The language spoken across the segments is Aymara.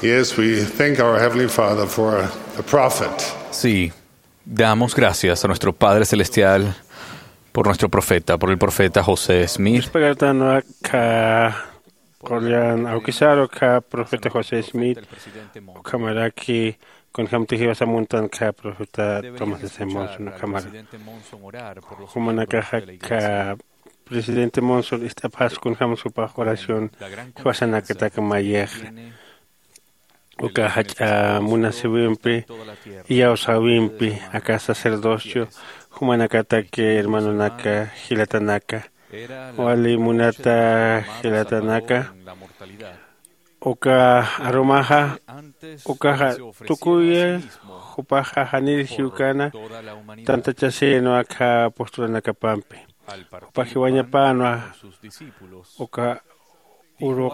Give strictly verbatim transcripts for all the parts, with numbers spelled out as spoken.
Yes, we thank our Heavenly Father for the prophet. Sí, damos gracias a nuestro Padre Celestial por nuestro profeta, por el profeta José Smith. Uspagartan akha qullan awkisaru kha profeta José Smith, ukhamaraki kunjamti jiwasamuntan kha profeta Thomas S. Monson ukhamara. Jumanakaxa kha presidente Monson ist'apxas kunjämsa jupax oración jiwasanakatak mayixa. Uka jach'a munasiwimpi, iyawsäwimpi aka sacerdocio jumanakataki hermanonaka, jilatanaka, wali munata jilatanaka. Uka arumaxa ukaxa tukuy jupaxa janir jiwkana tantachasïnwa akha postulanakapampi. Jupa jiwañapänwa uka uruq.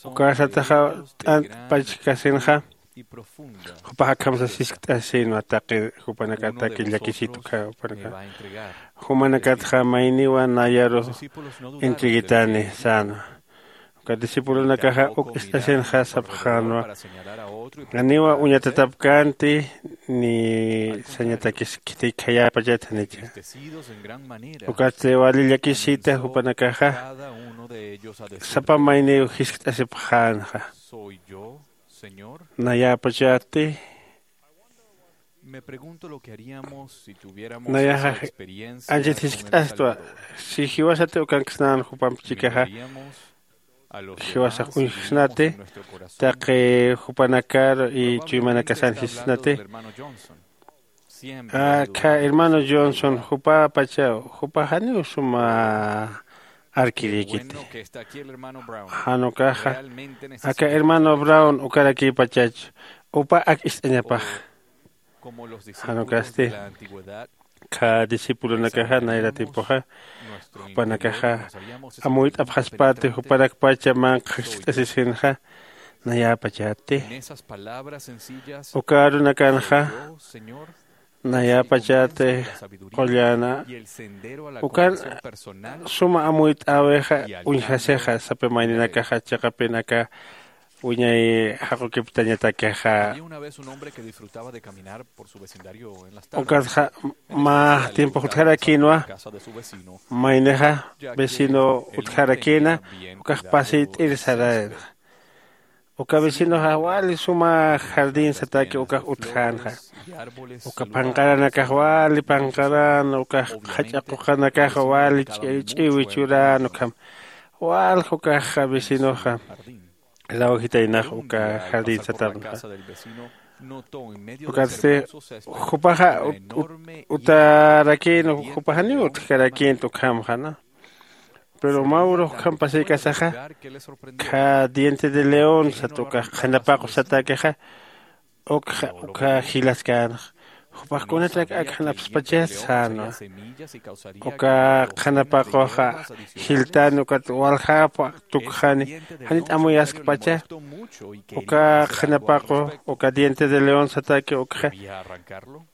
Uka sataxa t'ant pachkasinxa jupax akham sas jiskt'asïnwa taqi jupanakataki llakisituka jupanaka. Jumanakatxa mayniwa nayaru entreguitani sänwa. Uka discipulonakaxa uk ist'asinxa sapxänwa, janiwa uñatatapkänti ni sañatakis khitïk khayäpachat janicha. Ukatsti wali llakisita jupanakaxa sapa mayniw jiskt'asipxänxa. Nayäpachati nayaxa anchit jiskt'astwa. Si jiwasati ukanksnän jupamp chikaxa jiwasax uñjsnati taqi jupanakar y chuymanakasan jisnati. Akha hermano Johnson jupapachaw jupa janiw suma arkirïkiti. Jan ukaxa aka hermano Brown ukarakïpachach upa ak ist'añapax. Jan ukasti kha discipulonakaxa nayra tiempoxa jupanakaxa amuyt'apxaspati jupanakpacha manqha jiskt'asisinxa. Nayäpachati uka arunakanxa nayäpachati qullana ukan suma amuyt'äwixa uñjasixa sapa mayninakaxa chiqapin aka wiñay jaqukiptañatakixa. Ukatxa mä tiempox utjarakïnwa maynixa vecino utjarakïna ukax pasït'ir sarayna. Uka vecinoxa wali suma jardín sataki ukax utjänxa. Uka panqaranakax wali panqaran ukax jach'a quqanakaxa wali ch'iwi ch'uran ukham walja ukax vecinoxa lawjitaynax uka jardín satanxa. Ukatsti jupaxa utarakïn jupaxaniw utjkarakïnta ukhamxana. Pero mä urux ukham pasïkasaxa kha diente de león sat ukax qhanapaqu satakixa ukxa ukha jilaskänxa. Jupax kunatrak ak jan apspachas sänwa. Uka qhanapaqux jiltani ukat waljapa tukxani janit amuyaskpacha. Uka qhanapaqu uka diente de león sataki ukxa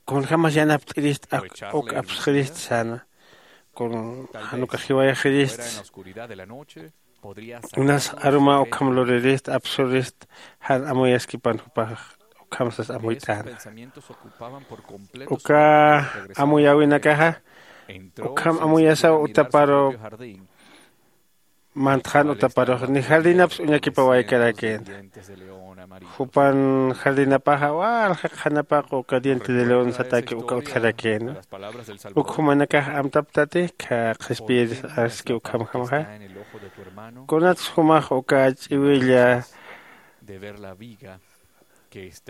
kunjämas yanapt'irist ak uk apsxirist sänwa. Kun jan ukax jiwayxirist unas aruma ukham luririst apsurist jan amuyaskipan jupax ukham sas amuyt'äna. Uka amuyäwinakaxa ukham amuyasaw utaparu mantxan utaparux ni jardinaps uñakipawaykarakïna. Jupan jardinapaxa walja qhanapaqu uka diente de león sataki uka utjarakïna. Uk jumanakax amtaptati kha qhispiyir aski ukhamjamxa. Kunats jumax uka ch'iwilla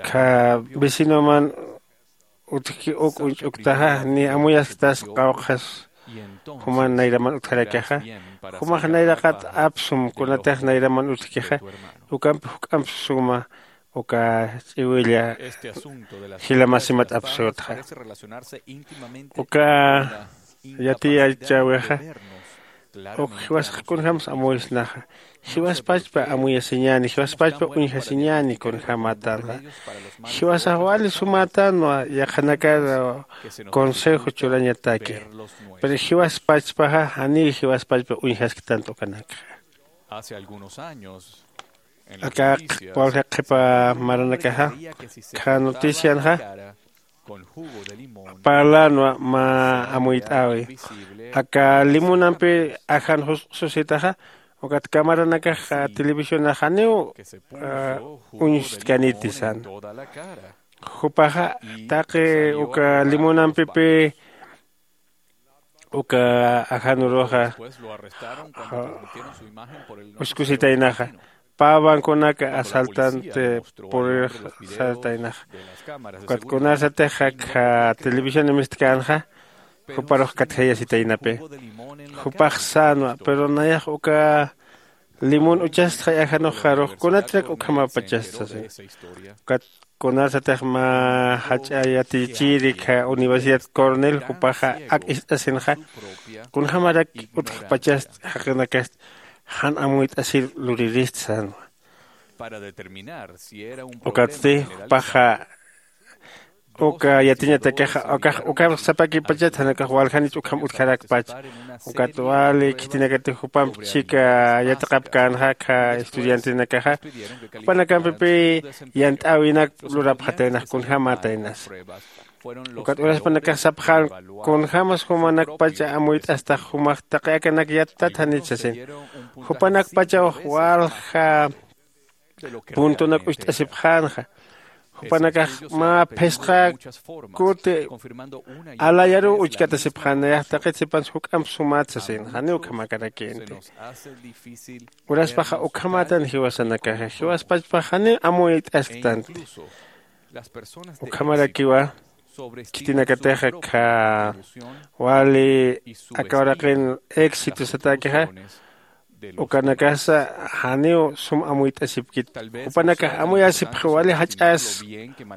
kha vecinoman utjki uk uñch'uktaxa ni amuyasktas qawqhas juman nayraman utjarakixa. Jumax nayraqat apsum kunatix nayraman utjkixa ukampi juk'amp suma uka ch'iwilla jila masimat apsutxa. Uka yatiyachäwixa uk jiwasax kunjämsa amuysnaxa. Jiwaspachpa amuyasiñäni jiwaspachpa uñjasiñäni kunjämätanxa. Jiwasax wali sumätanwa yaqhanakar consejo churañataki. Pero jiwaspachpaxa janiw jiwaspachpa uñjasktanti ukanakxa. Hace algunos años Aka walja qhipa maranakaxa kha noticianxa parlanwa mä amuyt'äwi. Aka limunampi ajan susitaxa ukat kamaranakax televisionax janiw uñstkaniti san. Jupaxa taqi uka limunampipï uka ajanuruxa uskusitaynaxa pä banconaka asaltante purirx sartaynaxa. Ukat kunasatix akha televisión mistkanxa juparux katjayasitaynapi. Jupax sänwa pero nayax uka limón uchastxay ajanuxarux kunatirak ukhamapachasta sasin. Ukat kunasatix mä jach'a yatichiri kha universidad cornel jupaxa ak ist'asinxa kunjämarak utjpachast jaqinakast jan amuyt'asir luririst sänwa. Ukatsti jupaxa uka yatiñatakaxa ukax ukamsapakipachat janakax waljanich ukham utjarakpach. Ukat wali khitinakatix jupamp chika yatiqapkänxa kha estudiantenakaxa jupanakampipï yant'äwinak lurapxataynax kunjämätaynas. Ukat uraspanakax sapxän kunjämas jumanakpacha amuyt'astax jumax taqi akanak yattat janich sasin. Jupanakpachaw walja puntonak ucht'asipxänxa. Jupanakax mä phisqa kuti alayaruw uchkatasipxän nayax taqit sipans juk'amp sumat sasin janiw ukhamakarakïnti. Uraspaxa ukhamätan jiwasanakaxa jiwaspachpax janiw amuyt'asktanti. Ukhamarakiwa khitinakatixa kha wali aka uraqin éxito satäkixa ukanakasa janiw sum amuyt'asipkit. Jupanakax amuyasipxi wali jach'as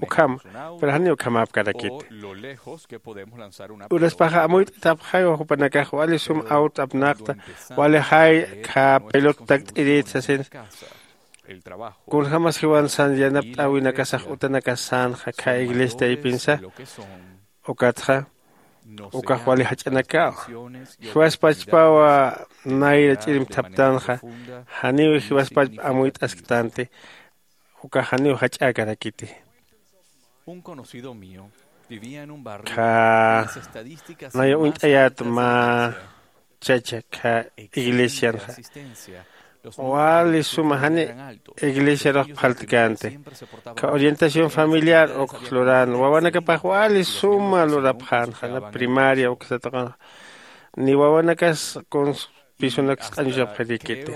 ukhama pero janiw ukhamäpkarakiti. Uraspaxa amuyt'atapxaywa jupanakax wali sum awt apnaqta wali jay kha pelot takt'irit sasin. Kunjämas jiwan san yanapt'äwinakasax utanakas sänxa kha iglesia taypinsa ukatxa ukax wali jach'anakaw. Jiwaspachpawa nayra ch'irimthaptanxa janiw jiwaspachp amuyt'asktanti. Ukax janiw jach'äkarakiti. Kha naya uñt'ayät mä chacha kha iglesianxa wali suma jani iglesiarux phaltkänti. Kha orientación familiar ukx lurän wawanakapax wali suma lurapxänxa na primaria uksa tuqunxa ni wawanakas kunsa pisunak sq'añuchapxirïkiti.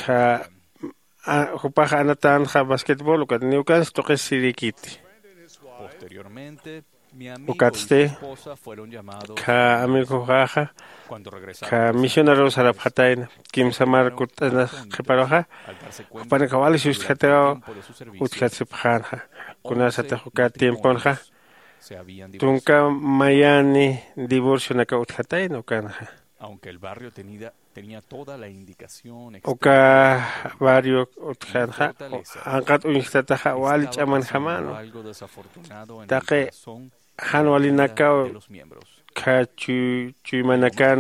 Kha jupax anatänxa basquetbol ukat niwkans tuqisirïkiti. Ukatsti kha amigoxaxa kha misionaruw sarapxatayna kimsa markut'anas qhiparuxa jupanakax wali sustjataw utjasipxänxa. Kunasatix uka tiemponxa tunka mayani divorcionakaw utjatayna ukanxa. Uka barrio utjänxa anqat uñjtataxa wali ch'amanjamänwa. Taqi jan walinakaw kha chuymanakan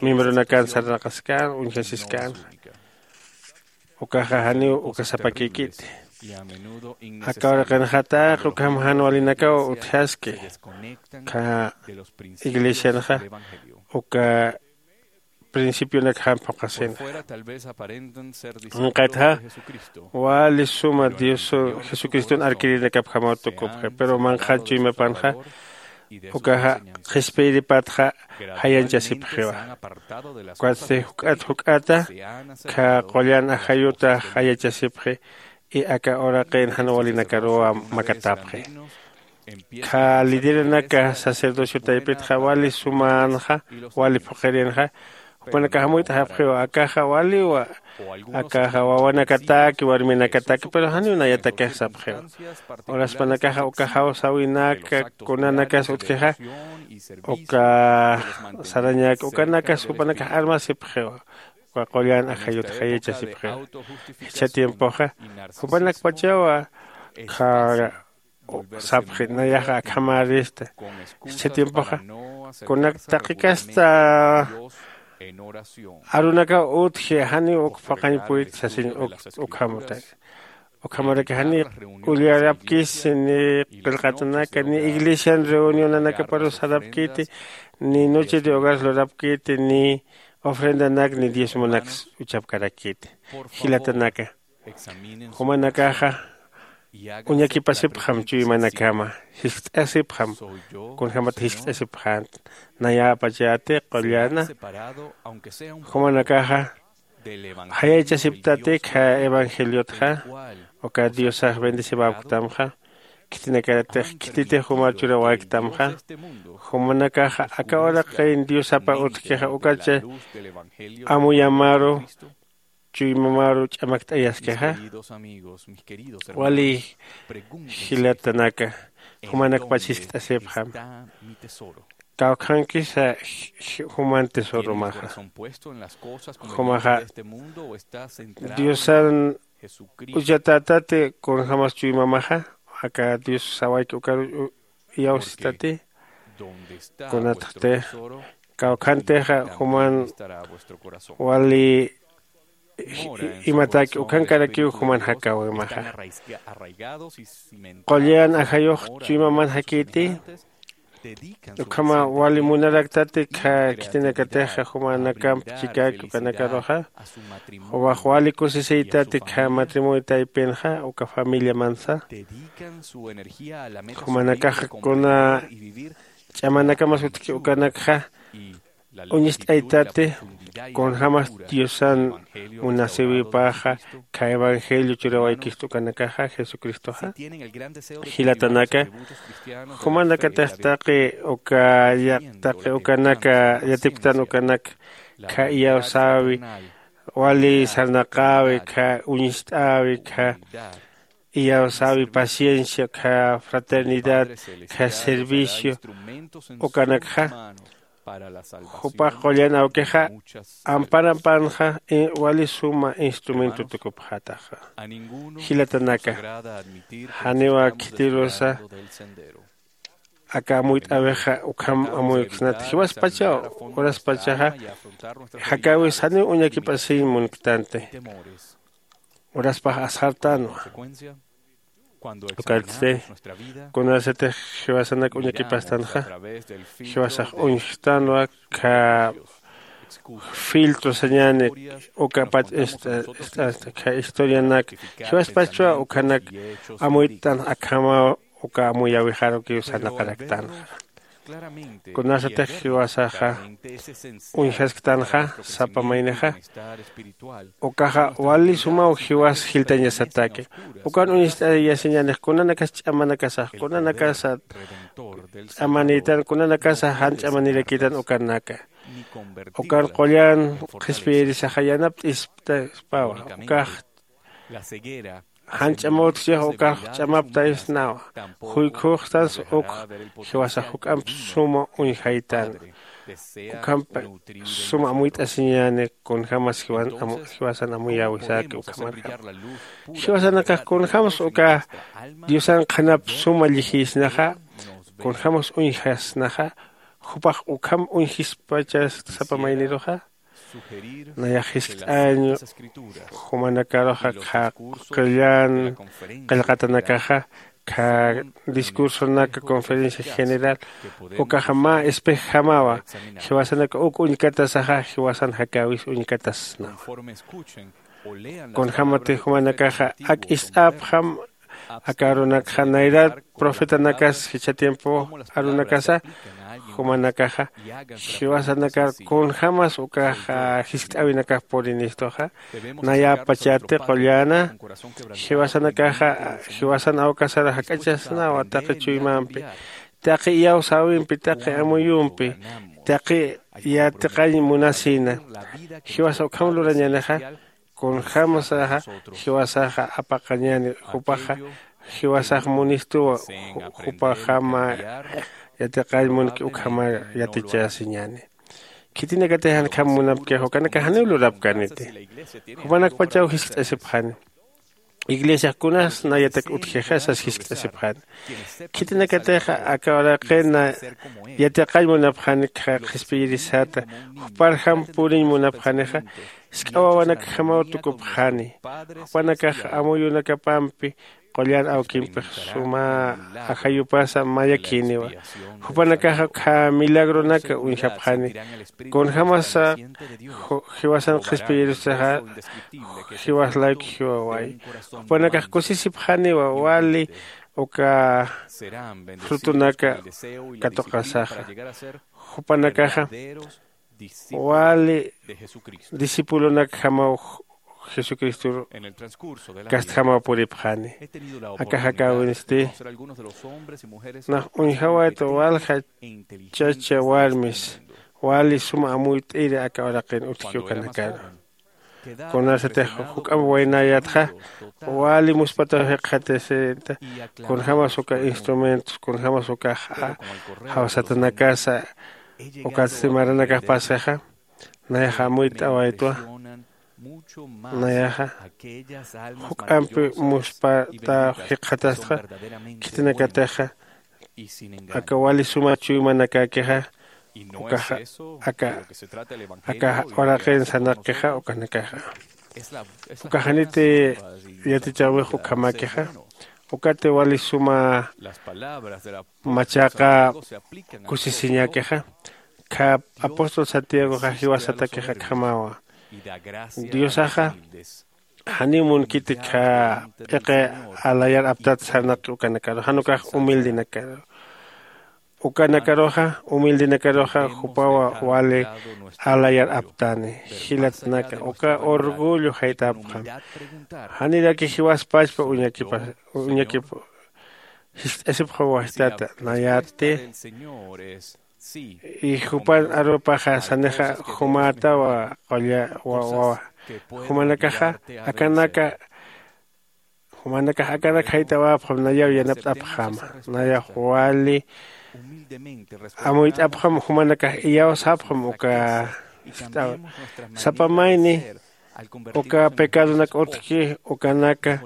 miembronakan sarnaqaskän uñjasiskänxa. Ukaxa janiw uka sapakïkiti. Aka uraqinxa taqi ukham jan walinakaw utjaski kha iglesianxa uka principionakjam phuqhasinxa. Anqatxa wali suma dios jesucriston arkirinakapjamaw tukupxi pero manqhan chuymapanxa ukaxa qhispiyiripatxa jayanchasipxiwa. Ukatsti juk'at juk'ata kha qullan ajayuta jayachasipxi. I aka uraqin jan walinakaruwa makatapxi. Kha lideranaka sacerdocio taypitxa wali sumänxa wali phuqirinxa jupanakax amuyt'ajapxiwa akaxa waliwa. Akaxa wawanakataki warminakataki pero janiw nayatakix sapxiwa. Uraspanakaxa uka jawsäwinaka kunanakas utjixa uka sarañak ukanakas jupanakax armasipxiwa. Uka qullan ajayut jayachasipxiwa. Jichha tiempoxa jupanakpachawa khara sapxi nayaxa akhamärista. Jichha tiempoxa kunak taqikasta Arunakaw utji, janiw uk paqañ puyt sasiñ. Ukhamata ukhamaraki janiw ullarapkis ni qillqatanaka ni iglesian reunionanakaparu sarapkiti, ni noche de hogar lurapkiti, ni ofrendanak ni diezmonaks uchapkarakiti. Jilatanaka, jumanakaxa uñakipasipxam chuymanakama, jiskt'asipxam. Kunjämat jiskt'asipxänti? Nayäpachäti qullana. Jumanakaxa jayaychasiptati khä evangeliotxa, uka diosax bendecibäpktamxa. Khitinakatix khititix jumar churawäktamxa. Jumanakaxa aka uraqin diosapa utjkixa ukacha amuyamaru chuymamaru ch'amakt'ayaskixa. Wali jilatanaka, jumanakpach jiskt'asipxam. Kawkhankisa juman tesoromaxa. Jumaxa diosan uchatätati kunjämas chuymamaxa, aka dios sawayki ukaru iyawsistati. Kunatxti kawkhantixa juman wali imataki ukankarakiw juman jakäwimaxa. Qullan ajayux chuymaman jakiti. Ukhama wali munaraktati khä khitinakatixa jumanakamp chikäki ukanakaruxa. Jumax wali kusisiytati khä matrimonio taypinxa uka familiamansa. Jumanakaxa kuna ch'amanakamas utjki ukanakxa uñist'aytati kunjämas diosan munasïwipaxa khä evangelio churawaykistu ukanakaxa jesucristoxa. Jilatanaka, jumanakatix taqi uka taqi ukanaka yatipktan ukanak khä iyawsäwi, wali sarnaqäwi khä uñist'äwi khä iyawsäwi paciencia khä fraternidad khä servicio ukanakxa. Jupax qullan awkixa amparampanxa wali suma instrumento tukupxätaxa. Jilatanaka, janiw khitirusa aka amuyt'äwixa ukham amuyksnat jiwaspachaw uraspachaxa jakäwis janiw uñakipasiñ munktanti. Uraspax asxartänwa. Ukatsti kunasatix jiwasanak uñakipastanxa jiwasax uñjtanwa. Khä filtro sañäni ukapach ist'ansta khä historianak jiwaspachwa ukhanak amuyt'tan akhamaw uka amuyäwixarukiw sarnaqaraktanxa. Kunasatix jiwasaxa uñjasktanxa sapa maynixa ukaxa wali sumaw jiwas jiltañasataki. Ukan uñist'ayasiñänix kunanakas ch'amanakasax kunanakasa ch'amanïtan kunanakasa jan ch'amanirakitan ukanaka. Ukan qullan qhispiyirisaxa yanapt'ispawa. Ukax jan ch'amawtjchix ukax ch'amaptaysnawa. Juykhuxtans ukx jiwasax juk'amp suma uñjaytän. Ukhamp suma amuyt'asiñäni kunjämas jiwasan amuyäwisäki ukhamarjam. Jiwasanakax kunjämsa uka diosan qhanap suma llijïsnaxa kunjämsa uñjasnaxa jupax ukham uñjispachas sapa mayniruxa. Nayax jiskt'añ jumanakaruxa qhaqillan qillqatanakaxa khä discursonak conferencia general ukaxa mä espejjamawa. Jiwasanaka uk uñkatasaxa jiwasan jakäwis uñkatasnawa. Kunjämatix jumanakaxa ak ist'apxam aka arunakxa nayrat profetanakas jichha tiempo arunakasa jumanakaxa jiwasanakar kunjämas ukax jiskt'äwinakax purinistuxa. Nayäpachäti qullana jiwasanakaxa jiwasan awkasar jak'achasnawa taqi chuymampi taqi iyawsäwimpi taqi amuyumpi taqi yatiqañ munasïna. Jiwasa ukham lurañänixa kunjämsaxa jiwasaxa apaqañäni jupaxa jiwasax munistuwa. Jupaxama yatiqañ munki ukhamar yatichasiñäni. Khitinakatix jankham munapkix ukanakax janiw lurapkäniti. Jupanakpachaw jiskt'asipxani. iglesiax kunas nayatak utjixa sas jiskt'asipxani. Khitinakatixa aka uraqina yatiqañ munapxani qhispiyirisata, juparjam puriñ munapxanixa. Jisk'a wawanakjamaw tukupxani. Jupanakax amuyunakapampi qullan awkimpix suma ajayupasa mayakïniwa. Jupanakaxa ukkha milagronaka uñjapxani. Kunjämasa jiwasan qhispiyirusaxa jiwas layku jiwaway. Jupanakax kusisipxaniwa wali uka frutunaka katuqasaxa. Jupanakaxa wali discipulonakjamaw jesucristor kastjamaw puripxani. Akax akäwinsti nax uñjawayta walja chacha warmis wali suma amuyt'iri aka uraqin utji ukanakaru. Kunasatix juk'amp waynayatxa wali muspataw jikxatasita. Kunjämas uka instrumentos kunjämas ukax jawsatanakasa ukatsti maranakax pasaxa nayaxa amuyt'awaytwa. Nayaxa juk'ampi muspataw jikxatastxa. Khitinakatixa aka wali suma chuymanakäkixa ukaxa aka aka uraqin sanaqixa ukanakaxa uka janiti yatichäwix ukhamäkixa. Ukati wali suma machaqa kusisiñäkixa. Kha apóstol santiagoxa jiwasatakixa akhamawa diosaxa janiw munkiti kha p'iqi alayar aptat sarnaqi ukanakaru jan ukax humildenakaru. Ukanakaruxa humildenakaruxa jupawa wali alayar aptani. Jilatnaka uka orgullo jaytapxam. Janiraki jiwaspachpa uñakipa uñakipa jist'asipxaw wajtata nayäti. Y jupan arupaxa sanixa jumätawa qulla wawa jumanakaxa akanaka jumanakax akanak jaytawäpxam nayaw yanapt'apxäma. Nayax wali amuyt'apxam jumanakax iyawsäpxam uka sapa mayni uka pecadonak utjki ukanaka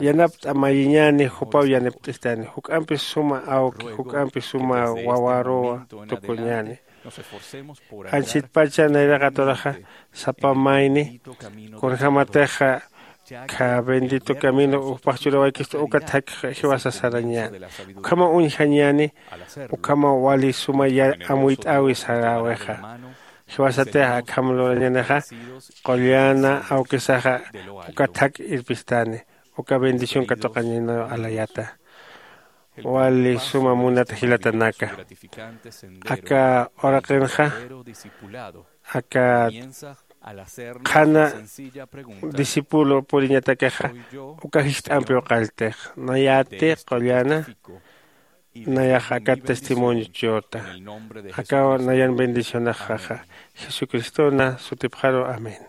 yanapt'a mayiñäni jupaw yanipt'istani juk'ampi suma awki juk'ampi suma wawaruwa tukuñäni. Anchitpacha nayraqaturaxa sapa mayni kunjämatixa kha bendito camino ujpax churawaykistu uka thakhi jiwasa sarañäni. Ukhamaw uñjañäni ukhamaw wali suma amuyt'äwi saräwixa. Jiwasatixa akham lurañänixa qullana awkisaxa uka thak irpistani uka bendición katuqañäniw alayata. Wali suma munat jilatanaka aka uraqinxa aka qhana discípulo puriñatakixa uka jist'ampiw qalltix nayäti qullana. Nayax aka testimonio churta akaw nayan bendicionaxaxa jesucristona sutipxaru amén.